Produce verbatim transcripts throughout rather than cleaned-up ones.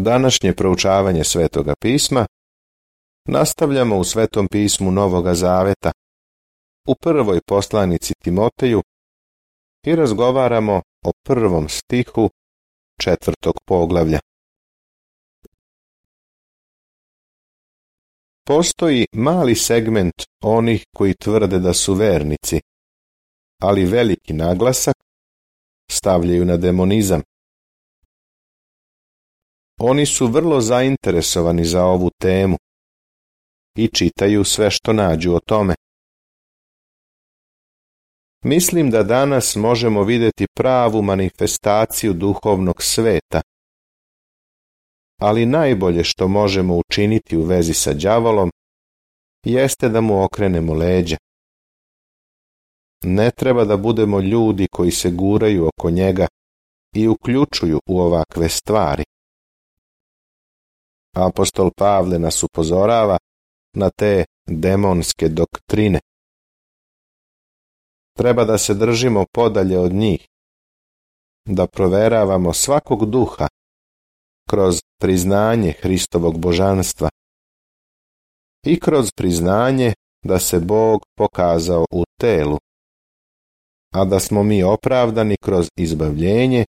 Današnje proučavanje Svetoga pisma nastavljamo u Svetom pismu Novoga Zaveta, u prvoj poslanici Timoteju i razgovaramo o prvom stihu četvrtog poglavlja. Postoji mali segment onih koji tvrde da su vernici, ali veliki naglasak stavljaju na demonizam. Oni su vrlo zainteresovani za ovu temu i čitaju sve što nađu o tome. Mislim da danas možemo vidjeti pravu manifestaciju duhovnog sveta, ali najbolje što možemo učiniti u vezi sa đavolom jeste da mu okrenemo leđa. Ne treba da budemo ljudi koji se guraju oko njega i uključuju u ovakve stvari. Apostol Pavle nas upozorava na te demonske doktrine. Treba da se držimo podalje od njih, da proveravamo svakog duha kroz priznanje Hristovog božanstva i kroz priznanje da se Bog pokazao u telu, a da smo mi opravdani kroz izbavljenje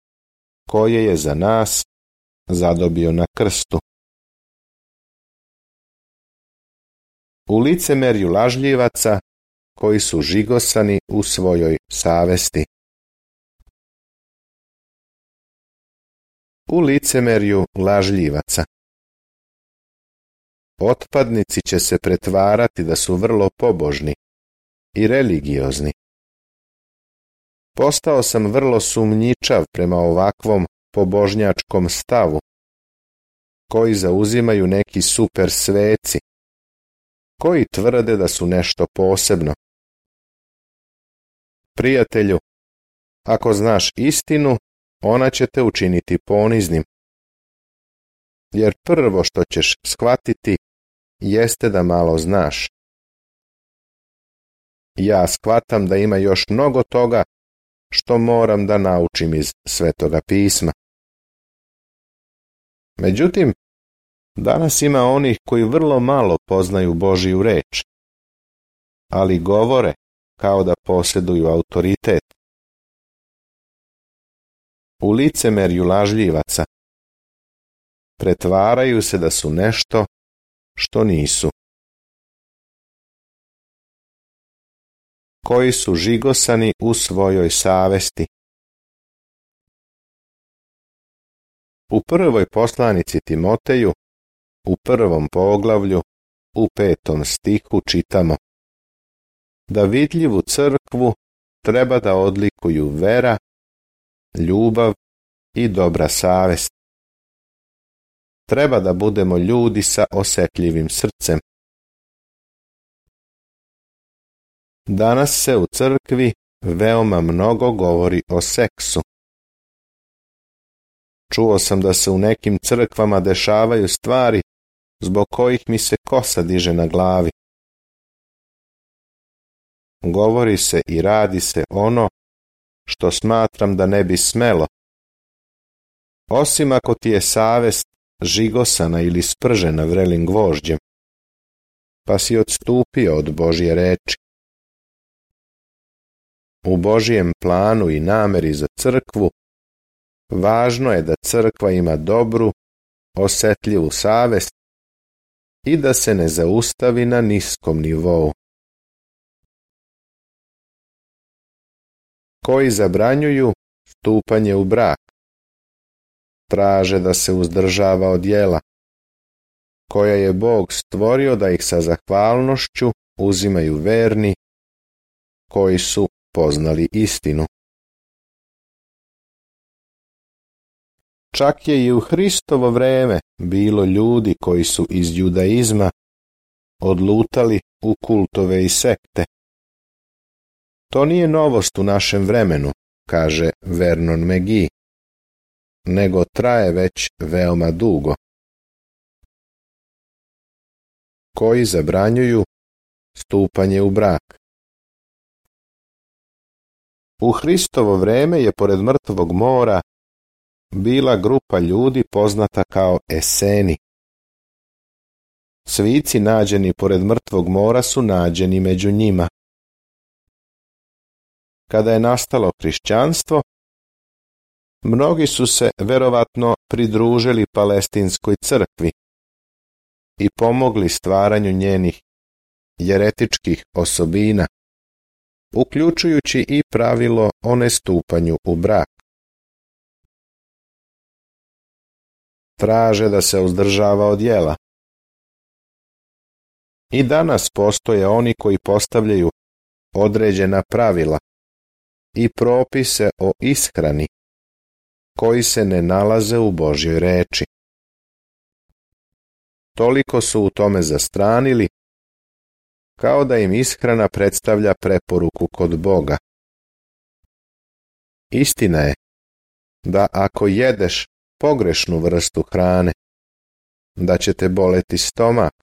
koje je za nas zadobio na krstu. U licemerju lažljivaca koji su žigosani u svojoj savesti. U licemerju lažljivaca. Otpadnici će se pretvarati da su vrlo pobožni i religiozni. Postao sam vrlo sumnjičav prema ovakvom pobožnjačkom stavu, koji zauzimaju neki super sveci, koji tvrde da su nešto posebno. Prijatelju, ako znaš istinu, ona će te učiniti poniznim. Jer prvo što ćeš shvatiti jeste da malo znaš. Ja shvatam da ima još mnogo toga što moram da naučim iz Svetoga pisma. Međutim, danas ima onih koji vrlo malo poznaju Božiju reč, ali govore kao da posjeduju autoritet. U licemerju lažljivaca pretvaraju se da su nešto što nisu. Koji su žigosani u svojoj savesti. U prvoj poslanici Timoteju, u prvom poglavlju, u petom stihu čitamo: da vidljivu crkvu treba da odlikuju vera, ljubav i dobra savest. Treba da budemo ljudi sa osjetljivim srcem. Danas se u crkvi veoma mnogo govori o seksu. Čuo sam da se u nekim crkvama dešavaju stvari zbog kojih mi se kosa diže na glavi. Govori se i radi se ono što smatram da ne bi smelo, osim ako ti je savest žigosana ili spržena vrelim gvožđem, pa si odstupio od Božje reči. U Božjem planu i nameri za crkvu važno je da crkva ima dobru, osjetljivu savest i da se ne zaustavi na niskom nivou. Koji zabranjuju stupanje u brak, traže da se uzdržava od djela, koja je Bog stvorio da ih sa zahvalnošću uzimaju verni, koji su poznali istinu. Čak je i u Hristovo vreme bilo ljudi koji su iz judaizma odlutali u kultove i sekte. To nije novost u našem vremenu, kaže Vernon McGee, nego traje već veoma dugo. Koji zabranjuju stupanje u brak. U Hristovo vreme je pored mrtvog mora bila grupa ljudi poznata kao Eseni. Svici nađeni pored mrtvog mora su nađeni među njima. Kada je nastalo hrišćanstvo, mnogi su se verovatno pridružili palestinskoj crkvi i pomogli stvaranju njenih jeretičkih osobina, uključujući i pravilo o nestupanju u brak. Traže da se uzdržava od jela. I danas postoje oni koji postavljaju određena pravila i propise o ishrani koji se ne nalaze u Božjoj reči. Toliko su u tome zastranili, kao da im ishrana predstavlja preporuku kod Boga. Istina je da ako jedeš pogrešnu vrstu hrane, da će te boleti stomak,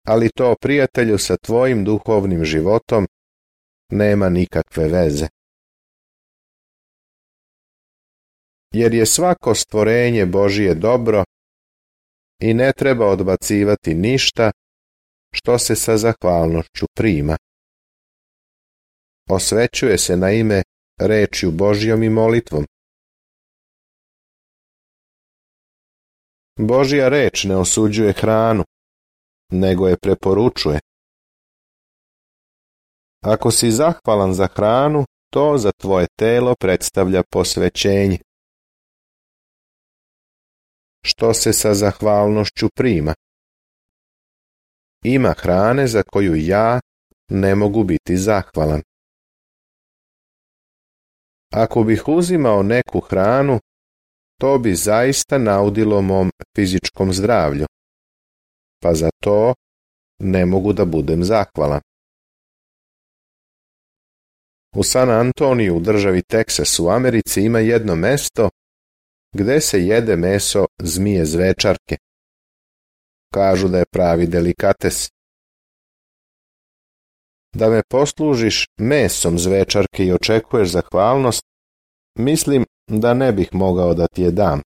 ali to, prijatelju, sa tvojim duhovnim životom nema nikakve veze. Jer je svako stvorenje Božije dobro i ne treba odbacivati ništa što se sa zahvalnošću prima. Osvećuje se na ime rečju Božjom i molitvom. Božja reč ne osuđuje hranu, nego je preporučuje. Ako si zahvalan za hranu, to za tvoje telo predstavlja posvećenje, što se sa zahvalnošću prima. Ima hrane za koju ja ne mogu biti zahvalan. Ako bih uzimao neku hranu, to bi zaista naudilo mom fizičkom zdravlju, pa za to ne mogu da budem zahvalan. U San Antoniju u državi Teksas u Americi ima jedno mesto gde se jede meso zmije zvečarke. Kažu da je pravi delikates. Da me poslužiš mesom zvečarke i očekuješ zahvalnost, mislim da ne bih mogao da ti je dam.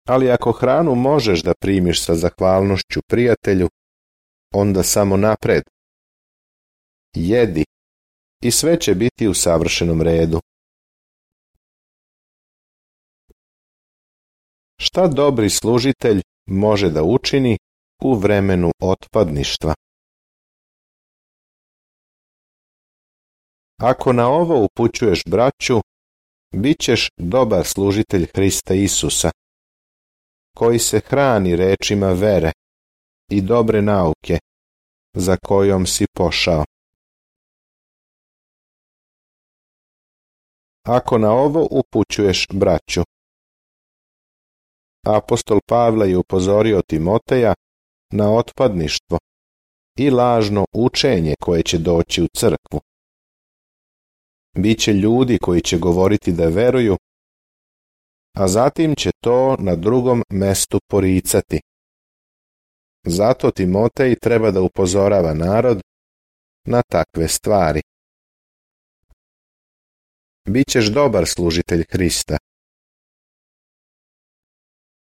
Ali ako hranu možeš da primiš sa zahvalnošću, prijatelju, onda samo napred. Jedi i sve će biti u savršenom redu. Šta dobri služitelj može da učini u vremenu otpadništva? Ako na ovo upućuješ braću, bit ćeš dobar služitelj Hrista Isusa, koji se hrani rečima vere i dobre nauke za kojom si pošao. Ako na ovo upućuješ braću, apostol Pavle je upozorio Timoteja na otpadništvo i lažno učenje koje će doći u crkvu. Biće ljudi koji će govoriti da veruju, a zatim će to na drugom mestu poricati. Zato Timotej treba da upozorava narod na takve stvari. Bićeš dobar služitelj Hrista.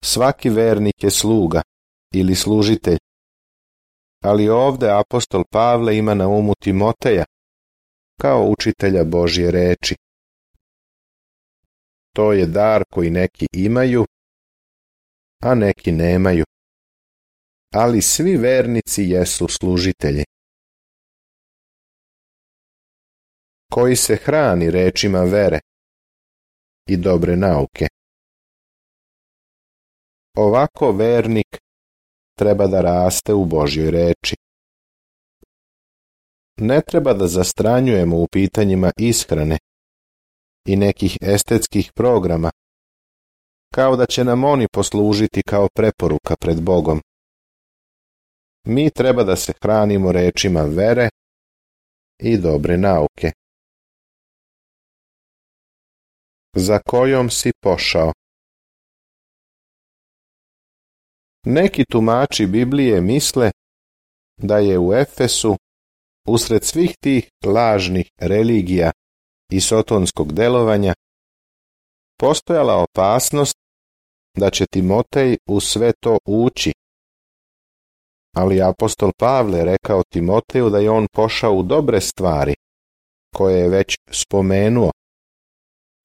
Svaki vernik je sluga ili služitelj, ali ovde apostol Pavle ima na umu Timoteja kao učitelja Božje reči. To je dar koji neki imaju, a neki nemaju. Ali svi vernici jesu služitelji. Koji se hrani rečima vere i dobre nauke. Ovako vernik treba da raste u Božjoj reči. Ne treba da zastranjujemo u pitanjima ishrane i nekih estetskih programa, kao da će nam oni poslužiti kao preporuka pred Bogom. Mi treba da se hranimo rečima vere i dobre nauke. Za kojom si pošao? Neki tumači Biblije misle da je u Efesu, usred svih tih lažnih religija i sotonskog delovanja, postojala opasnost da će Timotej u sve to ući. Ali apostol Pavle rekao Timoteju da je on pošao u dobre stvari, koje je već spomenuo,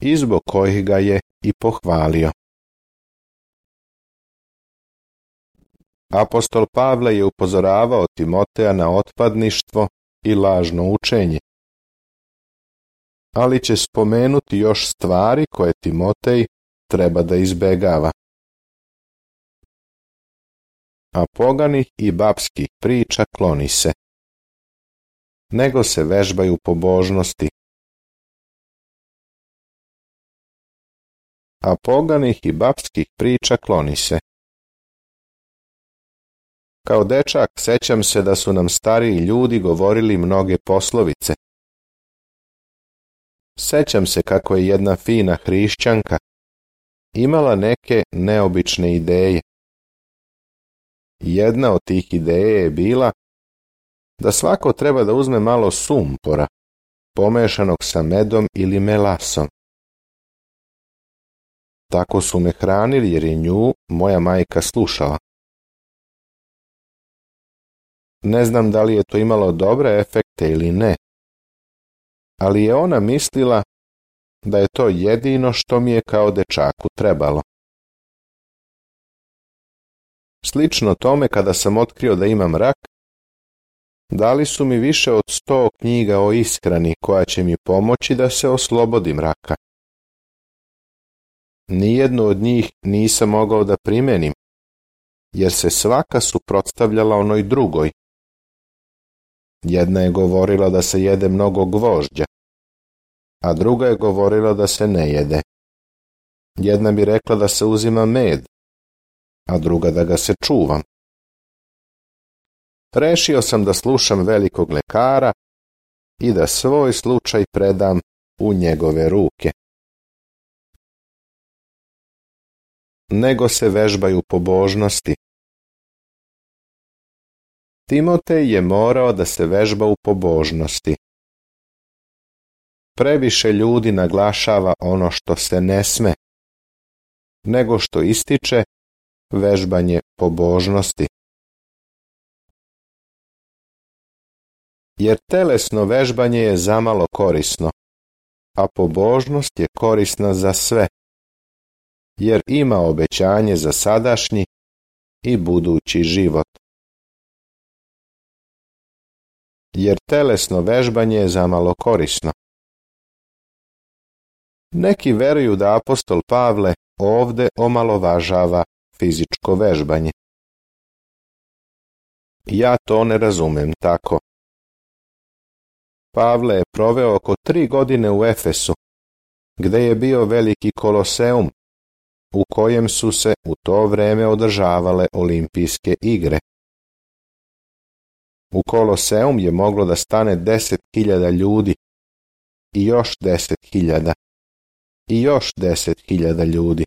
i zbog kojih ga je i pohvalio. Apostol Pavle je upozoravao Timoteja na otpadništvo i lažno učenje, ali će spomenuti još stvari koje Timotej treba da izbegava. A poganih i babskih priča kloni se, nego se vežbaju pobožnosti. A poganih i babskih priča kloni se. Kao dečak sećam se da su nam stariji ljudi govorili mnoge poslovice. Sećam se kako je jedna fina hrišćanka imala neke neobične ideje. Jedna od tih ideja je bila da svako treba da uzme malo sumpora, pomešanog sa medom ili melasom. Tako su me hranili jer je nju moja majka slušala. Ne znam da li je to imalo dobre efekte ili ne, ali je ona mislila da je to jedino što mi je kao dečaku trebalo. Slično tome, kada sam otkrio da imam rak, dali su mi više od sto knjiga o ishrani koja će mi pomoći da se oslobodim raka. Nijednu od njih nisam mogao da primenim, jer se svaka suprotstavljala onoj drugoj. Jedna je govorila da se jede mnogo gvožđa, a druga je govorila da se ne jede. Jedna bi rekla da se uzima med, a druga da ga se čuvam. Rešio sam da slušam velikog lekara i da svoj slučaj predam u njegove ruke. Nego se vežbaju pobožnosti. Timotej je morao da se vežba u pobožnosti. Previše ljudi naglašava ono što se ne sme, nego što ističe vežbanje pobožnosti. Jer telesno vežbanje je zamalo korisno, a pobožnost je korisna za sve, jer ima obećanje za sadašnji i budući život. Jer telesno vežbanje je zamalo korisno. Neki veruju da apostol Pavle ovde omalovažava fizičko vežbanje. Ja to ne razumem tako. Pavle je proveo oko tri godine u Efesu, gde je bio veliki koloseum, u kojem su se u to vreme održavale olimpijske igre. U koloseum je moglo da stane deset hiljada ljudi i još deset hiljada i još deset hiljada ljudi.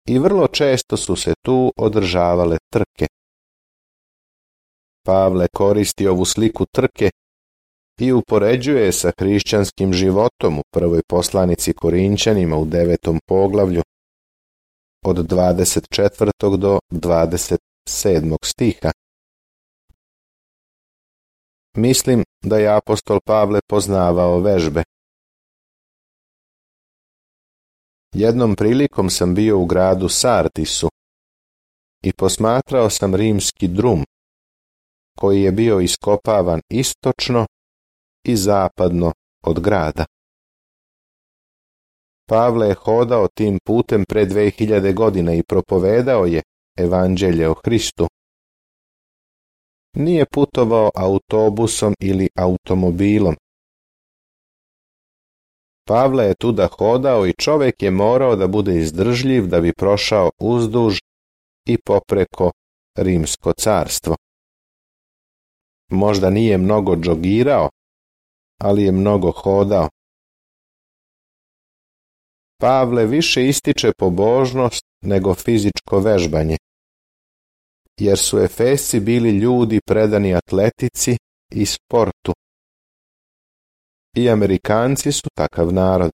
I vrlo često su se tu održavale trke. Pavle koristi ovu sliku trke i upoređuje je sa hrišćanskim životom u prvoj poslanici Korinćanima u devetom poglavlju od dvadeset četvrtog do dvadeset sedmog stiha. Mislim da je apostol Pavle poznavao vežbe. Jednom prilikom sam bio u gradu Sardisu i posmatrao sam rimski drum, koji je bio iskopavan istočno i zapadno od grada. Pavle je hodao tim putem pre dve hiljade godina i propovedao je evanđelje o Hristu. Nije putovao autobusom ili automobilom. Pavle je tuda hodao i čovjek je morao da bude izdržljiv da bi prošao uzduž i popreko Rimsko carstvo. Možda nije mnogo džogirao, ali je mnogo hodao. Pavle više ističe pobožnost nego fizičko vežbanje, jer su Efesci bili ljudi predani atletici i sportu. I Amerikanci su takav narod.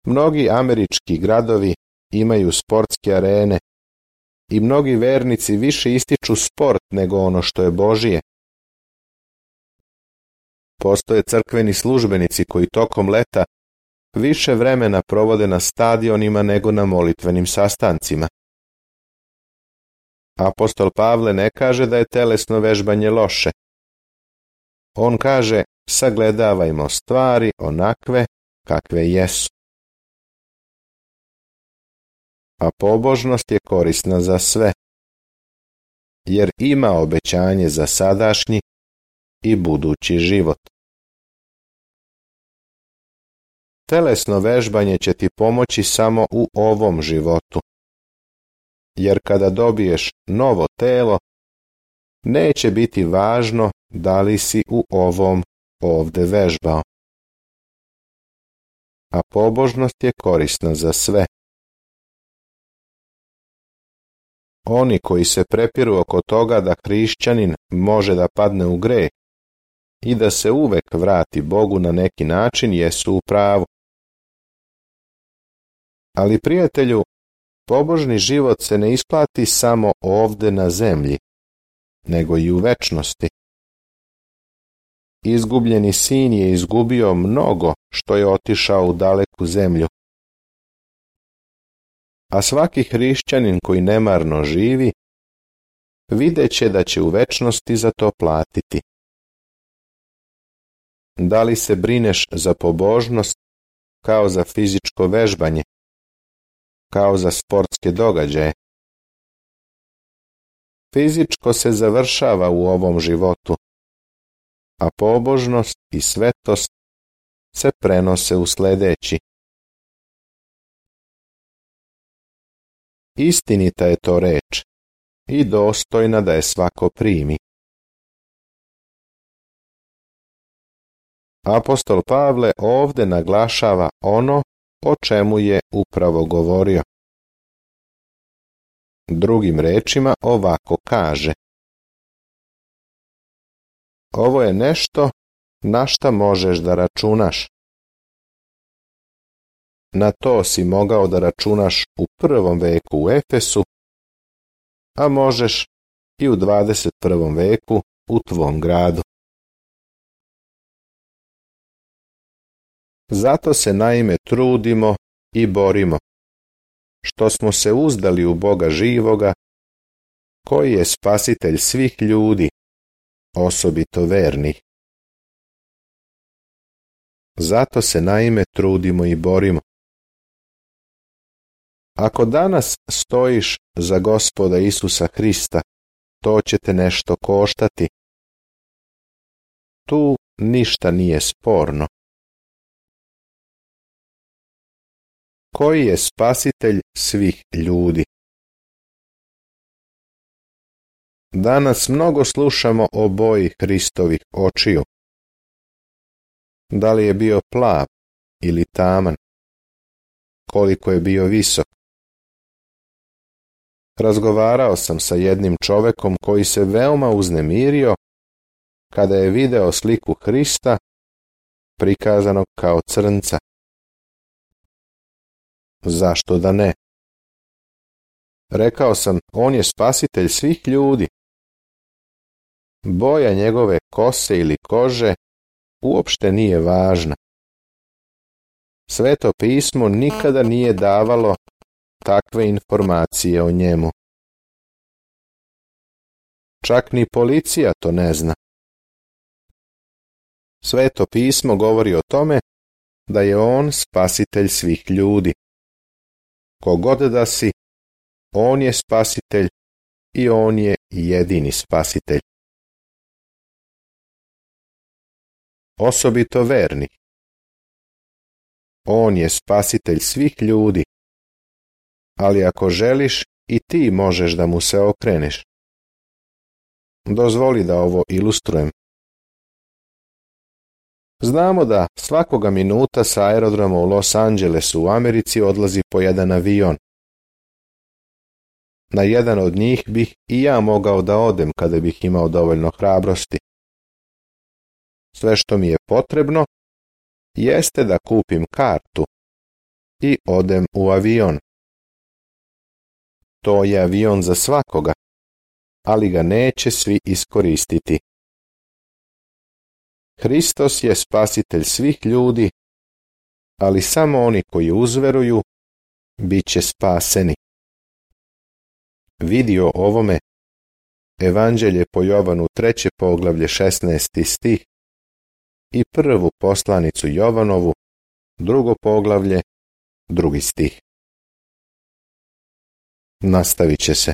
Mnogi američki gradovi imaju sportske arene i mnogi vernici više ističu sport nego ono što je Božije. Postoje crkveni službenici koji tokom leta više vremena provode na stadionima nego na molitvenim sastancima. Apostol Pavle ne kaže da je telesno vežbanje loše. On kaže, sagledavajmo stvari onakve kakve jesu. A pobožnost je korisna za sve, jer ima obećanje za sadašnji i budući život. Telesno vežbanje će ti pomoći samo u ovom životu, jer kada dobiješ novo telo, neće biti važno da li si u ovom ovde vežbao. A pobožnost je korisna za sve. Oni koji se prepiru oko toga da hrišćanin može da padne u greh i da se uvek vrati Bogu na neki način jesu u pravu. Ali, prijatelju, pobožni život se ne isplati samo ovde na zemlji, nego i u večnosti. Izgubljeni sin je izgubio mnogo što je otišao u daleku zemlju. A svaki hrišćanin koji nemarno živi, videće da će u večnosti za to platiti. Da li se brineš za pobožnost kao za fizičko vežbanje, kao za sportske događaje? Fizičko se završava u ovom životu, a pobožnost i svetost se prenose u sledeći. Istinita je to reč i dostojna da je svako primi. Apostol Pavle ovde naglašava ono o čemu je upravo govorio. Drugim rečima ovako kaže: ovo je nešto na šta možeš da računaš. Na to si mogao da računaš u prvom veku u Efesu, a možeš i u dvadeset prvom veku u tvom gradu. Zato se naime trudimo i borimo, što smo se uzdali u Boga živoga, koji je spasitelj svih ljudi, osobito vernih. Zato se naime trudimo i borimo. Ako danas stojiš za Gospoda Isusa Hrista, to će te nešto koštati. Tu ništa nije sporno. Koji je spasitelj svih ljudi? Danas mnogo slušamo o boji Hristovih očiju. Da li je bio plav ili taman? Koliko je bio visok? Razgovarao sam sa jednim čovekom koji se veoma uznemirio kada je video sliku Hrista prikazanog kao crnca. Zašto da ne? Rekao sam, on je spasitelj svih ljudi. Boja njegove kose ili kože uopšte nije važna. Sveto pismo nikada nije davalo takve informacije o njemu. Čak ni policija to ne zna. Sveto pismo govori o tome da je on spasitelj svih ljudi. Kogod da si, on je spasitelj i on je jedini spasitelj. Osobito vernih. On je spasitelj svih ljudi, ali ako želiš i ti možeš da mu se okreneš. Dozvoli da ovo ilustrujem. Znamo da svakoga minuta sa aerodroma u Los Angelesu u Americi odlazi po jedan avion. Na jedan od njih bih i ja mogao da odem kada bih imao dovoljno hrabrosti. Sve što mi je potrebno jeste da kupim kartu i odem u avion. To je avion za svakoga, ali ga neće svi iskoristiti. Hristos je spasitelj svih ljudi, ali samo oni koji uzveruju bit će spaseni. Vidi o ovome Evanđelje po Jovanu treće poglavlje šesnaesti stih i prvu poslanicu Jovanovu, drugo poglavlje, drugi stih. Nastavit će se.